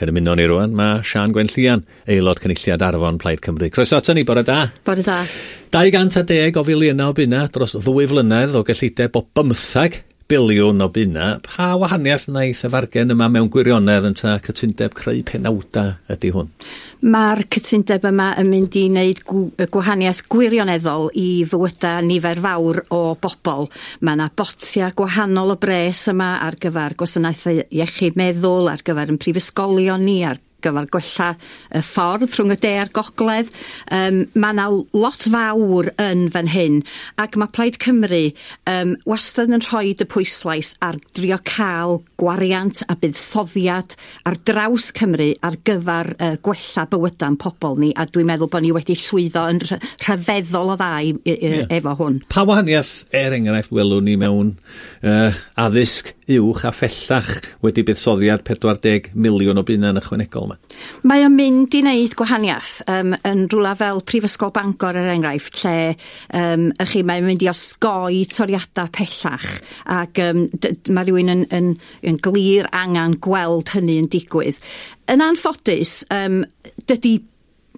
Ac yn ymuno ni rwan, mae Siân Gwenllian, aelod cynulliad Arfon Plaid Cymru. Croeso ato ni, bore da. Bore da. 210 o filiynau o bunna dros 2 flynedd o gyllideb o 15 biliwn o bunna. Pa wahaniaeth wnaeth y fargen yma mewn gwirionedd ynta cytundeb creu penawda ydy hwn? Mae'r cytundeb yma yn mynd i wneud gwahaniaeth gwirioneddol i fywydau nifer fawr o bobl. Mae yna botia gwahanol o bres yma ar gyfer gwasanaethau iechyd meddwl, ar gyfer yn prifysgolion ni, ar gyfer gwella y ffordd rhwng y de a'r gogledd. Mae yna lot fawr yn fan hyn, ac mae Plaid Cymru wastad yn rhoi y pwyslais ar drio cael gwariant a buddsoddiad ar draws Cymru ar gyfer gwella bywydau'n pobl ni, a dwi'n meddwl bod ni wedi llwyddo yn rhyfeddol o dda efo hwn. Pa wahaniaeth, er enghraifft, welwn ni mewn addysg uwch a phellach wedi buddsoddiad 40 miliwn o bunna'n ychwanegol yma? Mae o'n mynd i wneud gwahaniaeth yn rhywle fel Prifysgol Bangor, er enghraifft, lle chi, mae'n mynd i osgoi toriadau pellach, ac mae rhywun yn glir angen gweld hynny yn digwydd. Yn anffodus, dydy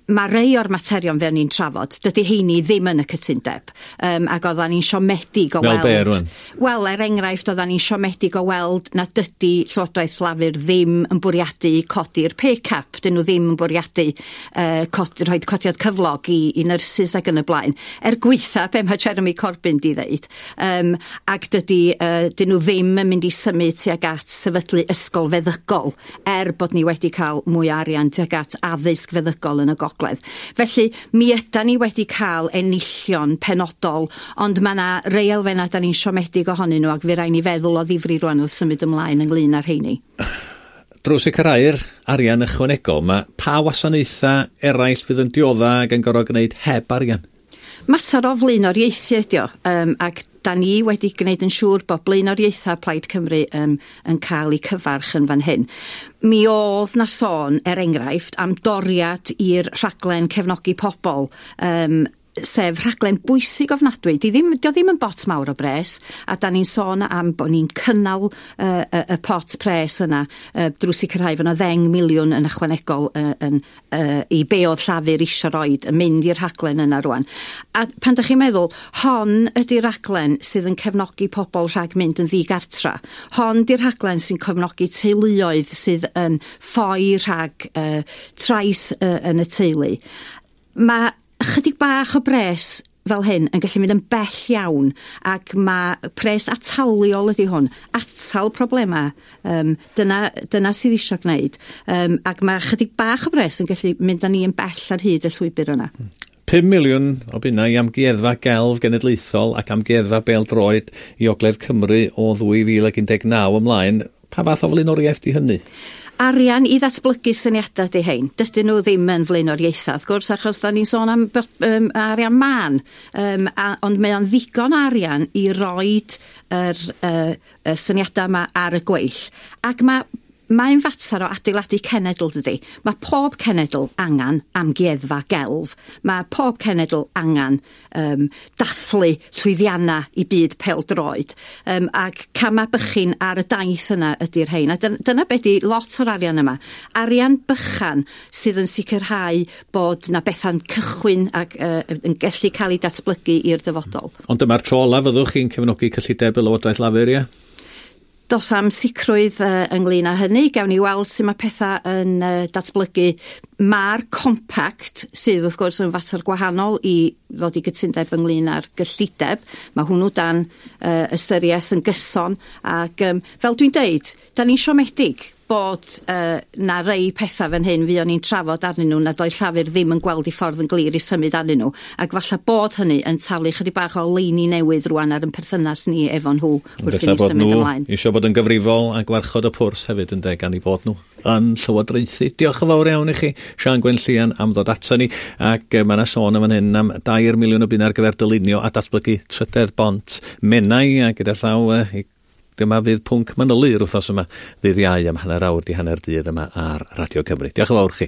mae rei o'r materion fe ni'n trafod, dydy heini ddim yn y cytundeb. Ac oeddan ni'n siomedig o weld. Fel be, rwan? Wel, er enghraifft, oeddan ni'n siomedig o weld na dydy Llywodraeth Lafur ddim yn bwriadu codi'r pay cap. Dyn nhw ddim yn bwriadu rhoi codiad cyflog i nyrsys ac yn y blaen. Er gweitha be mae Jeremy Corbyn di ddeud. Ac dyn nhw ddim yn mynd i symud tuag at sefydlu ysgol feddygol, er bod ni wedi cael mwy o arian tuag at addysg feddygol yn y gogledd. Felly, mi ydan ni wedi cael enillion penodol, ond mae yna rei elfennau da ni'n siomedig ohonyn nhw, ac fe rai ni feddwl o ddifri rwan wrth symud ymlaen ynglyn â'r rheini. Drwy sicrhau'r arian ychwanegol, mae pa wasanaethau eraill fydd yn diodda ac yn gorfod gwneud heb arian? Mater o flaenoriaethu ydi o, ac da ni wedi gwneud yn siŵr bod blaenoriaethau Plaid Cymru yn cael eu cyfarch yn fan hyn. Mi oedd na sôn, er enghraifft, am doriad i'r rhaglen cefnogi pobl, sef rhaglen bwysig ofnadwy. Dio ddim yn bot mawr o bres, a da ni'n sôn am bod ni'n cynnal y pot pres yna drwy sicrhau fod yna 10 miliwn yn ychwanegol i be oedd Llafur isio roid yn mynd i'r rhaglen yna rwan. A pan da chi'n meddwl, hon ydy'r rhaglen sydd yn cefnogi pobl rhag mynd yn ddigartra. Hon di'r rhaglen sy'n cefnogi teuluoedd sydd yn ffoi rhag trais yn y teulu. Mae chydig bach o bres fel hyn yn gallu mynd yn bell iawn, ac mae pres ataliol ydy hwn, atal problemau, dyna sydd eisiau gwneud, ac mae chydig bach o bres yn gallu mynd â ni yn bell ar hyd y llwybr yna. 5 miliwn o bunna i Amgueddfa Gelf Genedlaethol ac Amgueddfa Bêl-droed i Ogledd Cymru o 2019 ymlaen. Pa fath o flaenoriaeth di hynny? Arian i ddatblygu syniadau di hein. Dydyn nhw ddim yn flaenoriaethau, wrth gwrs, achos da ni'n sôn am arian mân. Ond mae o'n ddigon arian i roid yr syniadau yma ar y gweill. Ac mae'n fater o adeiladu cenedl, dydy. Mae pob cenedl angen amgueddfa gelf. Mae pob cenedl angen dathlu llwyddiannau i byd pêl-droed. Ac camau bychan ar y daith yna ydy'r rhain. A dyna be di lot o'r arian yma. Arian bychan sydd yn sicrhau bod na bethau'n cychwyn ac yn gallu cael ei datblygu i'r dyfodol. Ond dyma'r tro ola fyddwch chi'n cefnogi cyllideb y Lywodraeth Lafur, ie? Dos am sicrwydd ynglyn â hynny. Gawn ni weld sut mae pethau yn datblygu. Mae'r compact, sydd wrth gwrs yn fater gwahanol i ddod i gytundeb ynglyn â'r gyllideb, mae hwnnw dan ystyriaeth yn gyson. Ac fel dwi'n deud, da ni'n siomedig bod na rei pethau fan hyn fuon ni'n trafod arnyn nhw nad oedd Llafur ddim yn gweld i ffordd yn glir i symud arnyn nhw, ac falle bod hynny yn taflu chydig bach o leini newydd rwan ar yn perthynas ni efo nhw wrth i ni symud ymlaen. Eisiau bod yn gyfrifol a gwarchod y pwrs hefyd yn gan i bod nhw yn llywodraethu. Diolch yn fawr iawn i chi, Siân Gwenllian, am ddod ato ni, ac mae yna sôn yn fan hyn am 2 miliwn o bunna ar gyfer dylunio a datblygu trydedd bont Menai, a gyda llaw dyma fydd pwnc manylu'r wythnos yma, ddydd Iau am 1:30 yma ar Radio Cymru. Diolch yn fawr chi.